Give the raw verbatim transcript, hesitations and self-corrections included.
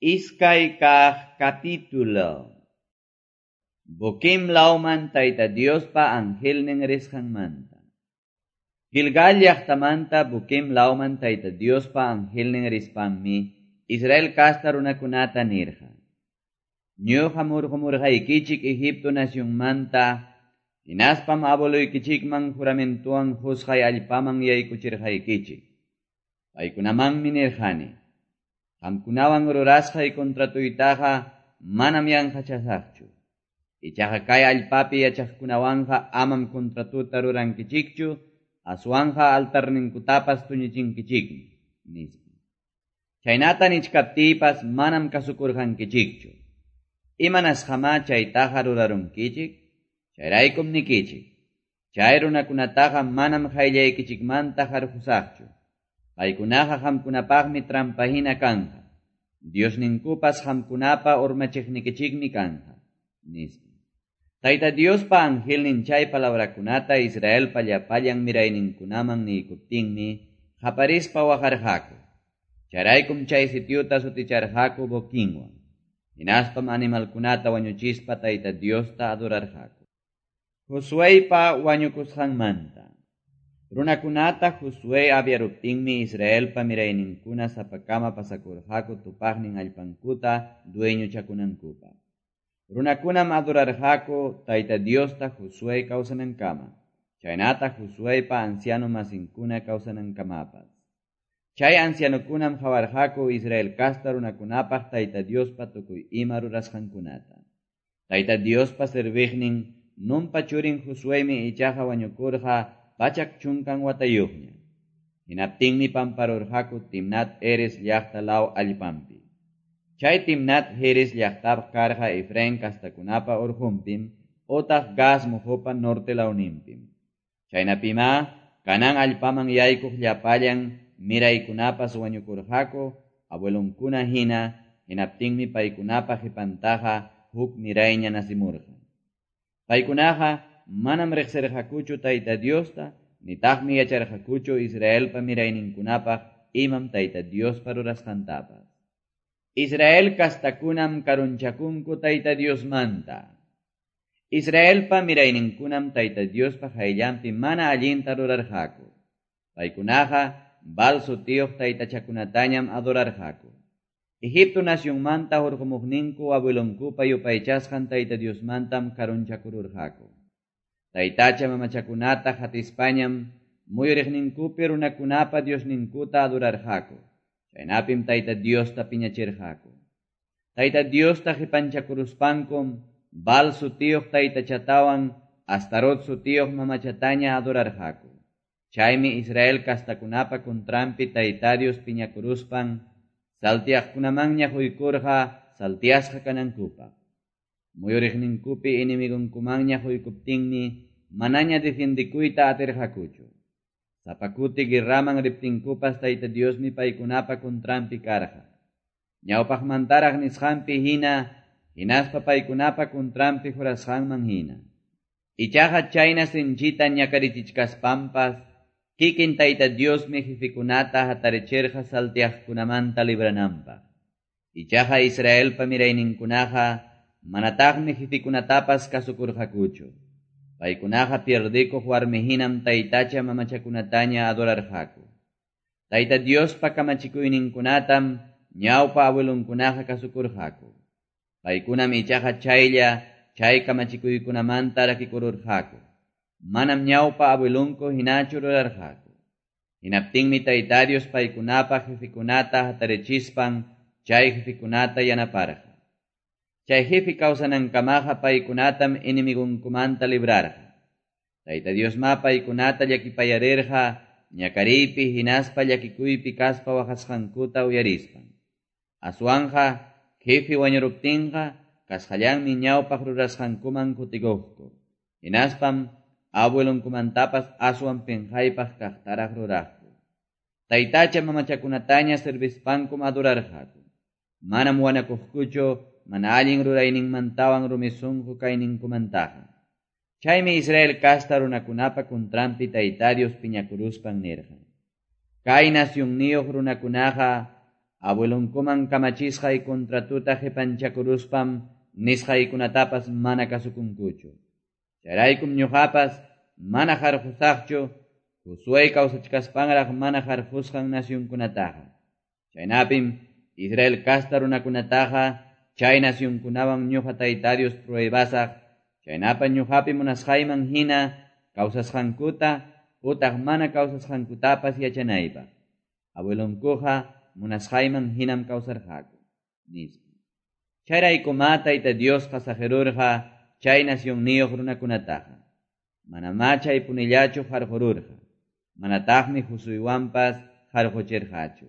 Iskay kaq capítulo. Boquim lawman Tayta Diospa angelnin risqanmanta. Gilgal llaqtamanta Boquim lawman Tayta Diospa angelnin rispanmi Israel casta runakunata nirqa. Ñuqa murqumurqaykichik Egipto nacionmanta hinaspam abueloykichikman juramentuwan qusqay allpaman yaykuchirqaykichik. Paykunamanmi nirqani. Qamkunawan rurasqay contratuytaqa manam yanqachasaqchu. Ichaqa kay allpapi yachaqkunawanqa amam contratuta rurankichikchu, aswanqa altarninkutapas tuñichinkichikmi, nispa. Chaynata nichkaptiypas manam kasukurqankichikchu. Imanasqamá chaytaqa rurarunkichik? Chayraykum nikichik. Chay runakunataqa manam qayllaykichikmanta harqusaqchu. Paykunaqa qamkunapaqmi trampahina kanqa. Diosninkupas qamkunapa urmachiqnikichikmi kanqa, nispa. Tayta Diospa angelnin chay palabrakunata Israelpa llapallan mirayninkunaman niykuptinmi qaparispa waqarqaku. Chayraykum chay sitiuta suticharqaku Boquinwan. Hinaspam animalkunata wañuchispa Tayta Diosta adorarqaku. Josueypa wañukusqanmanta. Runakunata Josué aviaruptinmi Israelpa mirayninkuna sapakama pasakurqaku tupaqnin allpankuta dueñochakunankupaq. Runakunam adorarqaku Tayta Diosta Josué kawsanankama, chaynata Josueypa anciano masinkuna kawsanankamapas. Chay ancianokunam qawarqaku Israel casta runakunapaq Tayta Diospa tukuy ima rurasqankunata. Tayta Diospa serviqnin Nunpa churin Josueymi ichaqa wañukurqa pachak chunkan watayuqña. Hinaptinmi pamparurqaku Timnat Heres llaqta law allpanpi. Chay Timnat Heres llaqtap karqa Efraín kastakunapa urqunpim otaq Gas muhupa norte lawninpim. Chaynapimá Canaán allpaman yaykuq llapallan miraykunapas wañukurqaku abuelonkuna hina, hinaptinmi paykunapa qipantaqa huk mirayña nasimurqa. Paykunaqa manam riqsirqakuchu Tayta Diosta, nitaqmi yacharqakuchu Israelpa mirayninkunapaq imam Tayta Diospa rurasqantapas. Israel kastakunam karunchakunku Tayta Diosmanta. Israelpa mirayninkunam Tayta Diospa qayllanpi mana allinta rurarqaku. Paykunaqa Baal sutiyuq taytachakunatañam adorarqaku. Egipto nacionmanta hurqumuqninku abuelonkupa yupaychasqan Tayta Diosmantam karunchakururqaku. Taytacha mamachakunata hatispañam muyuriqninkupi runakunapa Diosninkuta adorarqaku. Chaynapim Tayta Diosta piñachirqaku. Tayta Diosta qipanchakuruspankum Baal sutiyuq taytachatawan Astarot sutiyuq mamachataña adorarqaku. Chaymi Israel kastakunapa contranpi Tayta Dios piñakuruspan saltiaqkunamanña quykurqa saltiasqa kanankupaq. Muyuriqninkupi enemigonkumanña quykuptinmi manaña defiendikuyta atirqakuchu. Sapakuti guerraman riptinkupas Tayta Diosmi paykunapa contranpi karqa. Ñawpaqmantaraq nisqanpi hina, hinaspa paykunapa contranpi jurasqanman hina. Ichaqa chayna sinchita ñakarichichkaspampas, kikin Tayta Diosmi jefikunata hatarichirqa saltiaqkunamanta librananpaq. Ichaqa Israelpa mirayninkunaqa manataqmi jefikunatapas kasukurqakuchu. Paykunaqa pierdikuq warmihinam taytacha mamachakunataña adorarqaku. Tayta Diospa kamachikuyninkunatam ñawpa abuelonkunaqa kasukurqaku. Paykunam ichaqa chaylla chay kamachikuykunamanta rakikururqaku. Manam ñawpa abuelonku hinachu rurarqaku. Hinaptinmi Tayta Dios paykunapa jefikunata hatarichispan chay jefikunata yanaparqa. Chay jefe kawsanankamaqa paykunatam enemigonkumanta librarqa. Tayta Diosma paykunata llakipayarirqa ñakariypi hinaspa llakikuypi kaspa waqasqankuta uyarispan. Aswanqa jefe wañuruptinqa kasqallanmi ñawpaq rurasqankuman kutikuqku. Hinaspam abuelonkumantapas aswan pinqaypaq kaqtaraq ruraqku. Taytacha mamachakunataña servispankum adorarqaku. Manam wanakuqkuchu mana allin rurayninmantawan rumi sunqu kayninkumantaqa. Chaymi Israel casta runakunapa contranpi Tayta Dios piñakuruspan nirqa. Kay nacionniyuq runakunaqa Abuelonkuman kamachisqay contratota qepanchakuruspam nisqaykunatapas mana kasukunkuchu. Chayraykum ñuqapas mana qarqusaqchu Josué kawsachkaspanraq mana qarqusqan nacionkunataqa. Chaynapim Israel casta runakunataqa chay nacionkunawan ñuqa Tayta Dios pruebasaq, chaynapa ñuqapi munasqayman hina kawsasqankuta utaq mana kawsasqankutapas yachanaypaq. Abuelonkuqa munasqayman hinam kawsarqaku, nispa. Chayraykumá Tayta Diosqa saqirurqa chay nacionniyuq runakunataqa. Manamá chay punillachu qarqururqa. Manataqmi Josuewanpas qarquchirqachu.